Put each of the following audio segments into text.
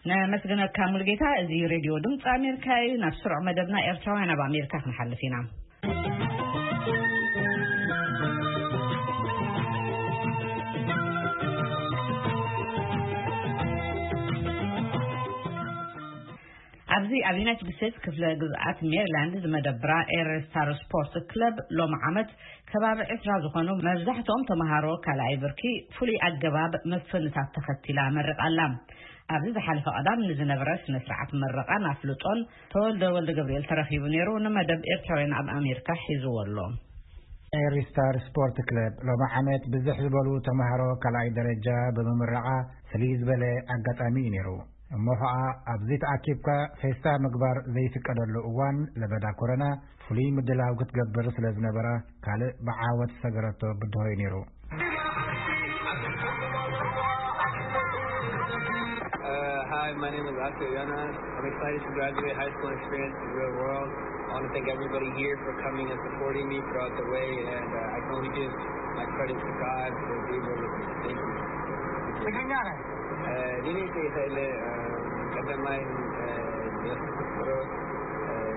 ነመስግነካ ሙሉጌታ። እዚ ሬድዮ ድምፂ ኣሜሪካ እዩ። ናብ ስሩዕ መደብና ኤርትራውያን ኣብ ኣሜሪካ ክንሓልፍ ኢና። ኣብዚ ኣብ ዩናይትድ ስቴትስ ክፍለ ግዝኣት ሜሪላንድ ዝመደብራ ኤረስታር ስፖርት ክለብ ሎሚ ዓመት ከባቢ ዕስራ ዝኾኑ መብዛሕትኦም ተምሃሮ ካልኣይ ብርኪ ፍሉይ ኣገባብ መፍንታት ተኸቲላ መሪቓ ኣላ። ኣብዚ ዝሓለፈ ቀዳም ንዝነበረ ስነ ስርዓት ምረቓን ኣፍልጦን ተወልደ ወልደ ገብርኤል ተረኺቡ ነይሩ። ንመደብ ኤርትራውያን ኣብ ኣሜሪካ ሒዝዎ ኣሎ። ኤሪስታር ስፖርት ክለብ ሎሚ ዓመት ብዝሕ ዝበሉ ተምሃሮ ካልኣይ ደረጃ ብምምረቓ ፍልይ ዝበለ ኣጋጣሚ እዩ ነይሩ። እሞ ኸዓ ኣብዚ ተኣኪብካ ፌስታ ምግባር ዘይፍቀደሉ እዋን ለበዳ ኮረና ፍሉይ ምድላው ክትገብር ስለ ዝነበራ ካልእ ብዓወት ዝሰገረቶ ብድሆ እዩ ነይሩ። Uh, hi, my name is Oscar Jonas. I'm excited to graduate high school and experience the real world. I want to thank everybody here for coming and supporting me throughout the way, and uh, I can only give my credit to God for being there with me. Thank you. ትግርኛ ነህ? ዲኔ ይኸእለ ቀዳማይ የሱስ ክርስቶስ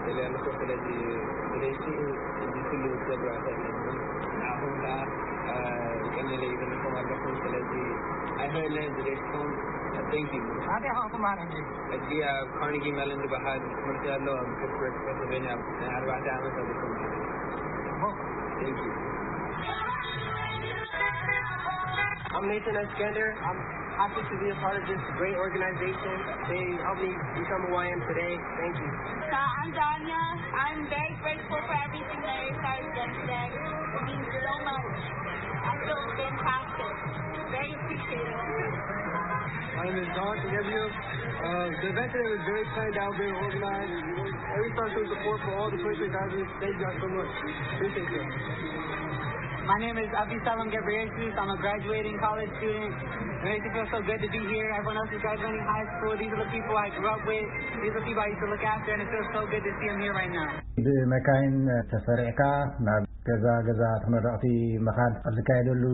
ደለያልኩ። ስለዚ ብደይሲ እዚ ኩሉ ክትገብሩ ኣይኽእልን። ንዓኹም ከዓ ይቀንለ ይብልኩም ኣለኹም። ስለዚ ኣይኽእልን ብደይስኩም። Thank you. ኣበይ ኢኻ ትመሃር ሕጂ? ሕጂ ኣብ ካርኒጊ መለን ዝበሃል ትምህርቲ ኣሎ ኣብ ፒትስበርግ ፔንስልቬንያ ናይ ኣርባዕተ ዓመት ኣብ ዝኮነ። Thank you. I'm Nathan Eskender. I'm happy to be a part of this great organization. They helped me become who I am today. Thank you. So I'm Danya. I'm very grateful for everything that you guys done today. It means so much. I feel fantastic. Very appreciative. My name is Don Gabriel. Uh, the event today was very planned out, very organized. Every person support for all the twenty-three thousand. Thank you guys so much. Appreciate you. My name is Abisalom Gabriel. I'm a graduating college student. It makes me feel so good to be here. Everyone else is graduating high school. These are the people I grew up with. These are the people I used to look after, and it feels so good to see them here right now. ብመካይን ተሰሪዕካ ናብ ገዛ ገዛ ተመረቕቲ ምኻድ ኣብ ዝካየደሉ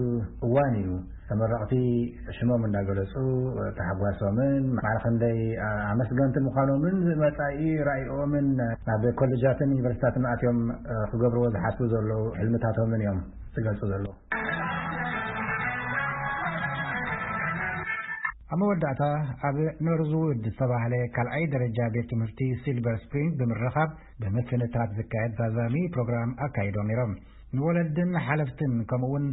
እዋን እዩ። ተመረቕቲ ሽሞም እንዳገለጹ ተሓጓሶምን ማዕረ ክንደይ ኣመስገንቲ ምዃኖምን መጻኢ ራእይኦምን ናብ ኮሌጃትን ዩኒቨርሲታትን ኣትዮም ክገብርዎ ዝሓስቡ ዘለዉ ሕልምታቶምን እዮም ዝገልጹ ዘለዉ። ኣብ መወዳእታ ኣብ ኖርዝውድ ዝተባህለ ካልኣይ ደረጃ ቤት ትምህርቲ ሲልቨር ስፕሪንግ ብምርኻብ ብምፍንታት ዝካየድ ዛዛሚ ፕሮግራም ኣካይዶም ነይሮም። ንወለድን ሓለፍትን ከምኡውን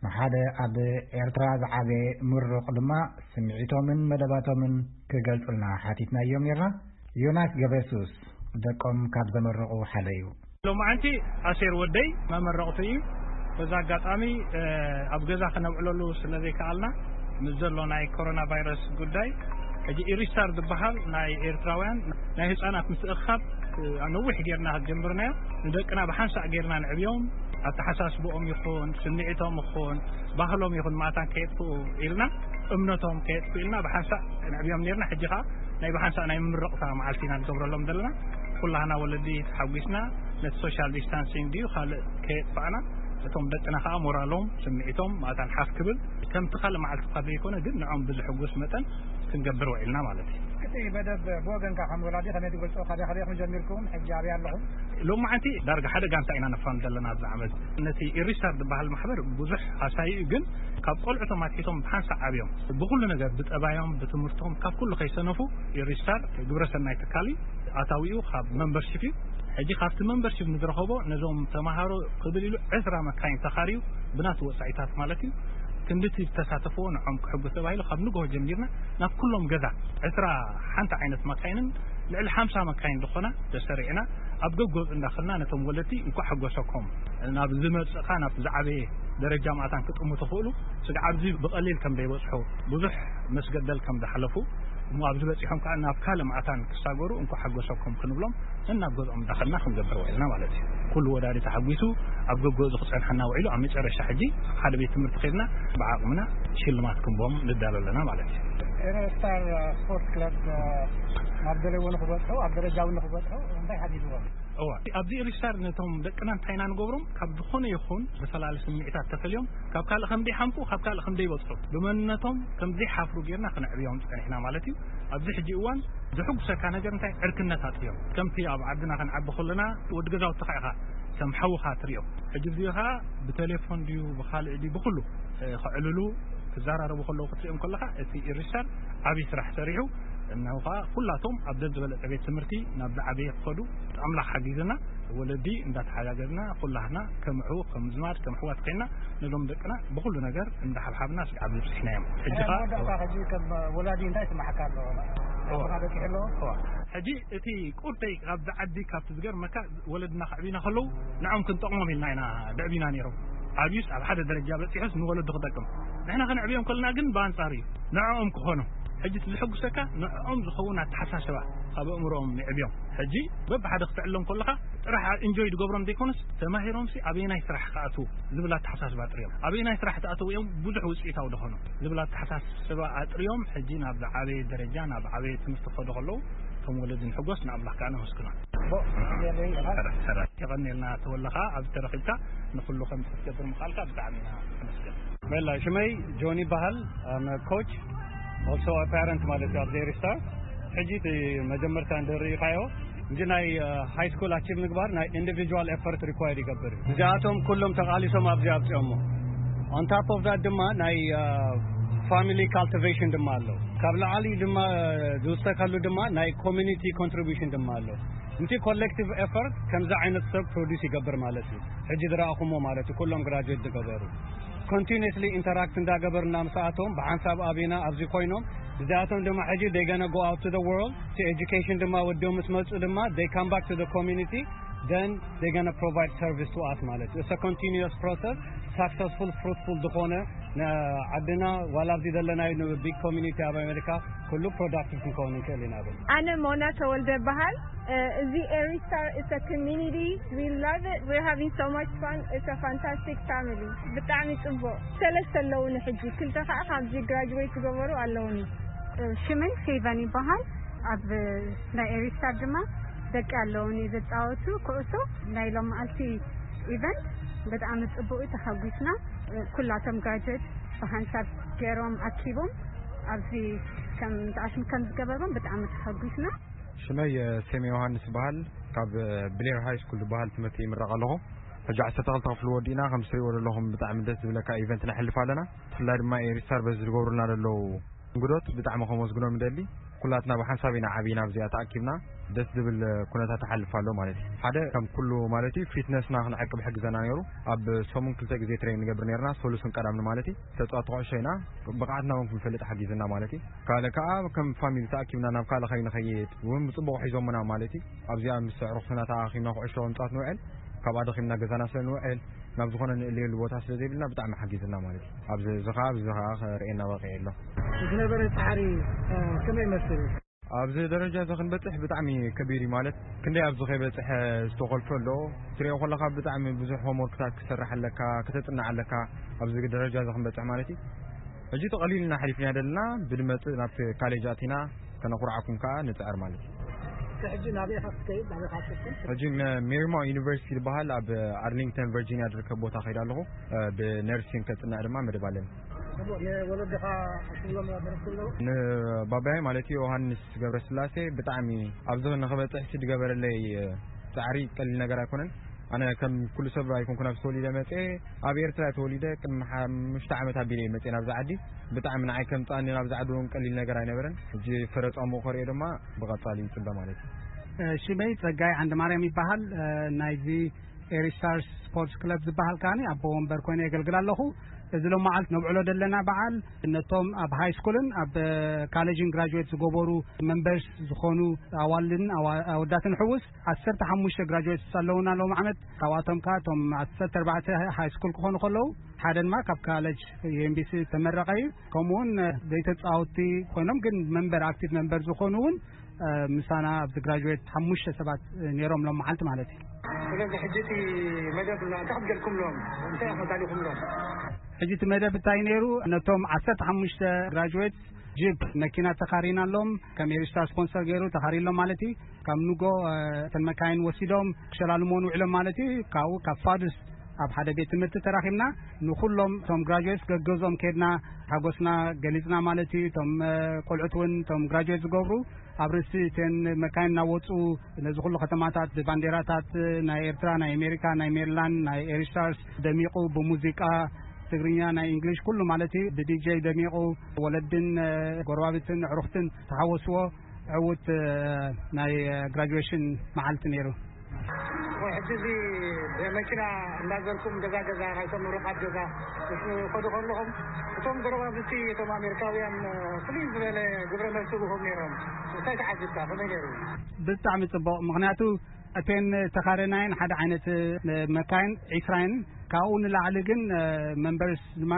ንሓደ ኣብ ኤርትራ ዝዓበየ ምሩቕ ድማ ስምዒቶምን መደባቶምን ክገልጹልና ሓቲትናዮም ነርና። ዮናስ ገብረሱስ ደቆም ካብ ዘመረቑ ሓደ እዩ። ሎማዓንቲ ኣሴር ወደይ መመረቕቱ እዩ። በዛ ኣጋጣሚ ኣብ ገዛ ክነብዕለሉ ስለ ዘይከኣልና ምስ ዘሎ ናይ ኮሮና ቫይረስ ጉዳይ ሕጂ ኢሪስታር ዝበሃል ናይ ኤርትራውያን ናይ ህፃናት ምትእኻብ ነዊሕ ጌርና ጀምርናዮ። ንደቅና ብሓንሳእ ጌርና ንዕብዮም፣ ኣተሓሳስብኦም ይኹን ስምዒቶም ይኹን ባህሎም ይኹን ማእታን ከየጥፍኡ ኢልና እምነቶም ከየጥፍኡ ኢልና ብሓንሳእ ንዕብዮም ኔርና። ሕጂ ከዓ ናይ ብሓንሳእ ናይ ምምርቕታ መዓልቲ ኢና ንገብረሎም ዘለና። ኩላህና ወለዲ ተሓጒስና ነቲ ሶሻል ዲስታንሲንግ ድዩ ካልእ ከየጥፋእና እቶም ደቅና ከዓ ሞራሎም ስምዒቶም ማእታን ሓፍ ክብል ከምቲ ካልእ መዓልቲ እኳ ዘይኮነ ግን ንዖም ብዝሕጉስ መጠን ክንገብር ውዒልና ማለት እዩ። እቲ መደብ ብወገንካ ከም ወላዲ ከመይ ትገልጾ? ካበይ ካበይ ኢኹም ጀሚርኩም? ሕጂ ኣበይ ኣለኹም? ሎማዓንቲ ዳርጋ ሓደ ጋንታ ኢና ነፋን ዘለና ኣብዚ ዓመት። ነቲ ኢሪስታር ዝበሃል ማሕበር ብዙሕ ሃሳዩ እዩ፣ ግን ካብ ቆልዑቶም ኣትሒቶም ብሓንሳእ ዓብዮም ብኩሉ ነገር ብጠባዮም ብትምህርቶም ካብ ኩሉ ከይሰነፉ ኢሪስታር ግብረሰናይ ትካል እዩ። ኣታዊኡ ካብ መንበርሺፕ እዩ። ሕጂ ካብቲ መንበርሺፕ ንዝረኸቦ ነዞም ተምሃሮ ክብል ኢሉ ዕስራ መካይን ተኻርዩ ብናቱ ወፃኢታት ማለት እዩ ክንድቲ ዝተሳተፍዎ ንዖም ክሕጉስ ተባሂሉ ካብ ንግሆ ጀሚርና ናብ ኩሎም ገዛ ዕስራ ሓንቲ ዓይነት መካይንን ልዕሊ ሓምሳ መካይን ዝኾና ተሰሪዕና ኣብ ገጎፅ እንዳኸልና ነቶም ወለድቲ እንኳዕ ሕጎሰኩም ናብ ዝመፅእ ካብ ዝዓበየ ደረጃ ማእታን ክጥሙ ትኽእሉ ስግዓ ኣብዚ ብቐሊል ከም ዘይበፅሑ ብዙሕ መስገደል ከም ዝሓለፉ እሞ ኣብዚ በፂሖም ከዓ ናብ ካልእ ማእታን ክሳገሩ እንኳዕ ሓጎሰኩም ክንብሎም ነናብ ገዝኦም እንዳኸድና ክንገብር ውዒልና ማለት እዩ። ኩሉ ወላዲ ተሓጒሱ ኣብ ገገዝኡ ክፀንሐና ውዒሉ ኣብ መጨረሻ ሕጂ ሓደ ቤት ትምህርቲ ከድና ብዓቕምና ሽልማት ክንቦም ንዳሎ ኣለና ማለት እዩ። ኤረስታር ስፖርት ክለብ ናብ ደለዎ ንክበፅሑ ኣብ ደረጃ እውን ንክበፅሑ እንታይ ሓጊዝዎም? እዋ፣ ኣብዚ ሪስታር ነቶም ደቅና እንታይ ኢና ንገብሮም? ካብ ዝኾነ ይኹን ብፈላለ ስምዒታት ተፈልዮም፣ ካብ ካልእ ከም ዘይሓምቁ፣ ካብ ካልእ ከም ዘይበጽሑ፣ ብመንነቶም ከም ዘይሓፍሩ ጌርና ክነዕብዮም ጸኒሕና ማለት እዩ። ኣብዚ ሕጂ እዋን ዘሕጉሰካ ነገር እንታይ? ዕርክነት ኣጥርዮም። ከምቲ ኣብ ዓድና ክንዓቢ ከለና ወዲ ገዛውትኻ ኢኻ ከም ሓውኻ ትሪኦ። ሕጂ እዚ ኸኣ ብቴሌፎን ድዩ፣ ብኻልእ ድዩ፣ ብኹሉ፣ እ፣ ክዕልሉ፣ ክዘራረቡ ከለዉ ክትሪኦም ከለኻ፣ እቲ ሪስታር ዓብዪ ስራሕ ሰሪሑ፣ እነሆ ኸኣ ኩላቶም ኣብ ደስ ዝበለጸ ቤት ትምህርቲ ናብ ዝዓበየ ክኸዱ ኣምላኽ ሓጊዝና፣ ወለዲ እንዳተሓጋገዝና፣ ኩላህና ከም ኣሕው፣ ከም ዝማድ፣ ከም ኣሕዋት ኮይና፣ ነዞም ደቅና ብኹሉ ነገር እንዳሓብሓብና ስጋብ ዝበጽሕናዮም። ሕጂ ኸኣ መወዳእታ ሕጂ ከም ወላዲ እንታይ ይስምዓካ ኣሎ? እዋ። ኣቦኻ በጺሑ ኣሎ? እዋ። ሕጂ እቲ ቁርደይ ካብዚ ዓዲ፣ ካብቲ ዝገርመካ፣ ወለድና ከዕብዩና ከለዉ ንዖም ክንጠቕሞም ኢልና ኢና ደዕቢና ነይሮም። ዓብዩስ ኣብ ሓደ ደረጃ በጺሑስ ንወለዱ ክጠቅም። ንሕና ከነዕብዮም ከለና ግን ብኣንጻሩ እዩ። ንዕኦም ክኾኖም። ሕጂ እቲ ዝሕጉሰካ ንዕኦም ዝኸውን ኣተሓሳስባ ካብ ኣእምሮኦም ንዕብዮም። ሕጂ በብሓደ ክትዕሎም ከለኻ ጥራሕ ኢንጆይ ዝገብሮም ዘይኮነስ ተማሂሮምሲ ኣበየናይ ስራሕ ክኣትዉ ዝብል ኣተሓሳስባ ኣጥርዮም። ኣበየናይ ስራሕ ተኣተዉ እዮም ብዙሕ ውጽኢታዊ ዝኾኑ ዝብል ኣተሓሳስባ ኣጥርዮም። ሕጂ ናብ ዝዓበየ ደረጃ፣ ናብ ዓበየ ትምህርቲ ክኸዱ ከለዉ እቶም ወለዲ ንሕጎስ፣ ንኣምላኽ ከኣ ነመስግኖ። የቐንየልና ተወለኻ ኣብዚ ተረኺብካ ንኹሉ ከም ክትገብር ምኽኣልካ ብጣዕሚ ኢና ነመስግን። መላ ሽመይ ጆኒ ይበሃል። I'm a coach, also a parent ማለት እዩ ኣብዚ ኤሪስታር። ሕጂ እቲ መጀመርታ እንድርኢኻዮ እንጂ ናይ ሃይ ስኩል ኣቺቭ ምግባር ናይ ኢንዲቪጁዋል ኤፈርት ሪኳየር ይገብር እዩ። እዚኣቶም ኩሎም ተቓሊሶም ኣብዚ ኣብፅኦሞ። On top of that ድማ ናይ ፋሚሊ ካልቲቬሽን ድማ ኣሎ። ካብ ላዕሊ ድማ ዝውሰከሉ ድማ ናይ ኮሚኒቲ ኮንትሪቢሽን ድማ ኣሎ። እቲ ኮሌክቲቭ ኤፈርት ከምዚ ዓይነት ሰብ ፕሮዲስ ይገብር ማለት እዩ። ሕጂ ዝረኣኹሞ ማለት እዩ፣ ኩሎም ግራጁዌት ዝገበሩ። ኮንቲኒስሊ ኢንተራክት እንዳገበርና ምስኣቶም ብሓንሳብ ኣብና ኣብዚ ኮይኖም፣ እዚኣቶም ድማ ሕጂ they gonna go out to the world፣ እቲ ኤጁኬሽን ድማ ወዲኦም ምስ መፁ ድማ they come back to the community, then they gonna provide service to us ማለት እዩ። It's a continuous process, successful, fruitful ዝኾነ ንዓድና ዋላ ኣብዚ ዘለናዮ ንቢግ ኮሚኒቲ ኣብ ኣሜሪካ ኩሉ ፕሮዳክቲቭ ክንከውን ንክእል ኢና ብል። ኣነ ሞና ተወልደ በሃል። እዚ ኤሪስታር is a community, we love it, we're having so much fun, it's a fantastic family። ብጣዕሚ ጽቡቕ። ሰለስተ ኣለውኒ ሕጂ፣ ክልተ ከዓ ካብዚ ግራጅዌት ዝገበሩ ኣለውኒ። ሽመይ ፌቨን ይበሃል። ኣብ ናይ ኤሪስታር ድማ ደቂ ኣለውኒ ዝጻወቱ ኩዕሶ። ናይ ሎም መዓልቲ ኢቨንት ብጣዕሚ ጽቡቕ እዩ፣ ተሓጒስና። ኩላቶም ግራጅዌት ብሓንሳብ ገይሮም ኣኪቦም ኣብዚ ከም ተኣሽም ከም ዝገበርዎም ብጣዕሚ ተሓጒስና። ሽመይ ሴም ዮሃንስ ይበሃል። ካብ ብሌር ሃይ ስኩል ዝበሃል ትምህርቲ ይምረቕ ኣለኹ። ሕጂ ዓሰርተ ክልተ ክፍሊ ወዲእና፣ ከም ትሪእዎ ዘለኹም ብጣዕሚ ደስ ዝብለካ ኢቨንት ነሕልፍ ኣለና። ብፍላይ ድማ ኤሪስታር በዚ ዝገብሩልና ዘለዉ እንግዶት ብጣዕሚ ከመስግኖም ይደሊ። ኩላትና ብሓንሳብ ኢና ዓቢና ኣብዚኣ ተኣኪብና፣ ደስ ዝብል ኩነታት ተሓልፍ ኣሎ ማለት እዩ። ሓደ ከም ኩሉ ማለት እዩ ፊትነስና ክንዕቅብ ሕግዘና ነይሩ። ኣብ ሰሙን ክልተ ግዜ ትሬን ንገብር ነርና፣ ሰሉስን ቀዳምን ማለት እዩ። ተጻወቲ ኩዕሾ ኢና፣ ብቕዓትና እውን ክንፈልጥ ሓጊዝና ማለት እዩ። ካልእ ከኣ ከም ፋሚሊ ተኣኪብና ናብ ካልእ ከይንኸይድ እውን ብጽቡቕ ሒዞምና ማለት እዩ። ኣብዚኣ ምስ ኣዕሩኽትና ተኣኻኺብና ኩዕሾ ክንጻወት ንውዕል፣ ካብኣ ደኺምና ገዛና ስለ ንውዕል ናብ ዝኾነ ንእለየሉ ቦታ ስለ ዘይብልና ብጣዕሚ ሓጊዝና ማለት እዩ። ኣብዚ እዚ ከኣ ኣብዚ ከኣ ክርእየና በቒዑ ኣሎ። ዝነበረ ጻዕሪ፣ እ፣ ከመይ ይመስል? ኣብዚ ደረጃ እዚ ክንበጽሕ ብጣዕሚ ከቢድ እዩ ማለት ክንደይ ኣብዚ ከይበጽሐ ዝተኾልፈ ኣሎ። ትሪኦ ከለኻ ብጣዕሚ ብዙሕ ሆምወርክታት ክሰርሕ ኣለካ፣ ከተጽንዕ ኣለካ ኣብዚ ደረጃ እዚ ክንበጽሕ ማለት እዩ። ሕጂ ተቐሊልና ሓሊፍና ደለና ብድመጽእ ናብቲ ካሌጅ ኣቲና ከነኹርዓኩም ከኣ ንጽዕር ማለት እዩ። ሕጂ ናበይ ኢኻ ክትከይድ? ናበይ ኢኻ ትፍትን? ሕጂ መ-፣ ሜሪማውንት ዩኒቨርሲቲ ዝበሃል ኣብ ኣርሊንግተን ቨርጂኒያ ዝርከብ ቦታ ከይድ ኣለኹ። እ፣ ብነርሲን ከጽንዕ ድማ መደብ ኣለኒ። ጽቡቕ፣ ንወለድኻ ክትብሎም ኣለዉ? ንባባይ ማለት እዩ ዮሃንስ ገብረስላሴ ብጣዕሚ ኣብዚ ንኽበጽሕ ዝገበረለይ ጻዕሪ ቀሊል ነገር ኣይኮነን። ኣነ ከም ኩሉ ሰብ ኣይኮንኩን ኣብዚ ተወሊደ መጽኤ፣ ኣብ ኤርትራ እየ ተወሊደ። ቅድሚ ሓሙሽተ ዓመት ኣቢለ እየ መጽኤ ናብዚ ዓዲ። ብጣዕሚ ንዓይ ከምጽኣኒ ናብዚ ዓዲ እውን ቀሊል ነገር ኣይነበረን። ሕጂ ፍረ ጻምኡ ከርእዮ ድማ ብቐጻሊ ይጽበ ማለት እዩ። እ፣ ሽመይ ጸጋይ ዓንደማርያም ይበሃል። እ፣ ናይዚ ኤሪስታርስ ስፖርትስ ክለብ ዝበሃል ከኣ ኣቦ ወንበር ኮይነ የገልግል ኣለኹ። እዚ ሎም መዓልቲ ነብዕሎ ዘለና በዓል ነቶም ኣብ ሃይ ስኩልን ኣብ ካሌጅን ግራጁዌት ዝገበሩ መንበርስ ዝኾኑ ኣዋልድን ኣዋ-፣ ኣወዳትን ሕውስ ዓሰርተ ሓሙሽተ ግራጁዌት ኣለውና ሎም ዓመት። ካብኣቶም ከኣ እቶም ዓሰርተ ኣርባዕተ ሃይ ስኩል ክኾኑ ከለዉ ሓደ ድማ ካብ ካሌጅ ዩ ኤም ቢ ሲ ተመረቐ እዩ። ከምኡውን ዘይተጻወትቲ ኮይኖም ግን መንበር፣ ኣክቲቭ መንበር ዝኾኑ እውን እ፣ ምሳና ኣብዚ ግራጁዌት ሓሙሽተ ሰባት፣ እ፣ ነይሮም ሎም መዓልቲ ማለት እዩ። ስለዚ ሕጂ እቲ መደብ እንታይ ክትገልኩምሎም? እንታይ ኢኹም ኣዳሊኹምሎም? ሕጂ እቲ መደብ እንታይ ነይሩ? ነቶም ዓሰርተ ሓሙሽተ ግራጁዌት ጂፕ መኪና ተኻሪናሎም፣ ከም ኤሪስታር ስፖንሰር ገይሩ ተኻሪሎም ማለት እዩ። ካብ ንጎ እተን መካይን ወሲዶም ክሸላልሞን ውዕሎም ማለት እዩ። ካብኡ ካብ ፋዱስ ኣብ ሓደ ቤት ትምህርቲ ተራኺብና፣ ንኹሎም እቶም ግራጁዌት ገገዞም ከድና ሓጎስና ገሊጽና ማለት እዩ። እቶም ቆልዑት እውን እቶም ግራጁዌት ዝገብሩ ኣብ ርእሲ እተን መካይን እናወፁ ነዚ ኩሉ ከተማታት ብባንዴራታት ናይ ኤርትራ፣ ናይ ኣሜሪካ፣ ናይ ሜሪላንድ፣ ናይ ኤሪስታርስ ደሚቑ ብሙዚቃ ትግርኛ፣ ናይ እንግሊሽ ኩሉ ማለት እዩ ብዲጀይ ደሚቑ ወለድን ጎረባብትን ኣዕሩኽትን ተሓወስዎ ዕዉት ናይ ግራጁዌሽን መዓልቲ ነይሩ። ሕጂ እዚ ብመኪና እንዳዘርኩም ገዛ ገዛ ናይቶም ምሩቓት ገዛ ምስ ከዱ ከለኹም እቶም ጎረባብቲ እቶም ኣሜሪካውያን ፍልይ ዝበለ ግብረ መልሲ ቡኩም ነይሮም። እንታይ ተዓዚብካ? ከመይ ነይሩ? ብጣዕሚ ጽቡቕ። ምኽንያቱ እተን ተኻረናይን ሓደ ዓይነት መካይን ዒስራይን ካብኡ ንላዕሊ ግን መንበርስ ድማ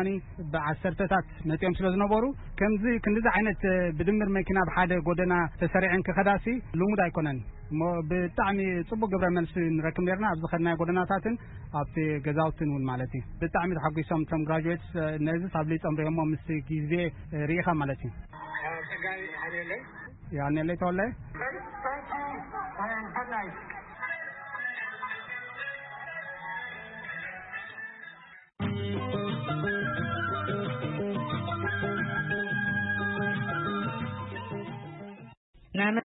ብዓሰርተታት መፂኦም ስለ ዝነበሩ ከምዚ ክንዲዚ ዓይነት ብድምር መኪና ብሓደ ጎደና ተሰሪዐን ክኸዳሲ ልሙድ ኣይኮነን። እሞ ብጣዕሚ ጽቡቅ ግብረ መልሲ ንረክብ ነርና ኣብ ዝኸድናዮ ጎደናታትን ኣብቲ ገዛውትን እውን ማለት እዩ። ብጣዕሚ ተሓጒሶም እቶም ግራጁዌትስ ነዚ ሳብሊ ጸምሪኦሞ ምስ ግዜ ርኢኻ ማለት እዩ። ጸጋይ ኣኔለይ። ያኔለይ ተወለ።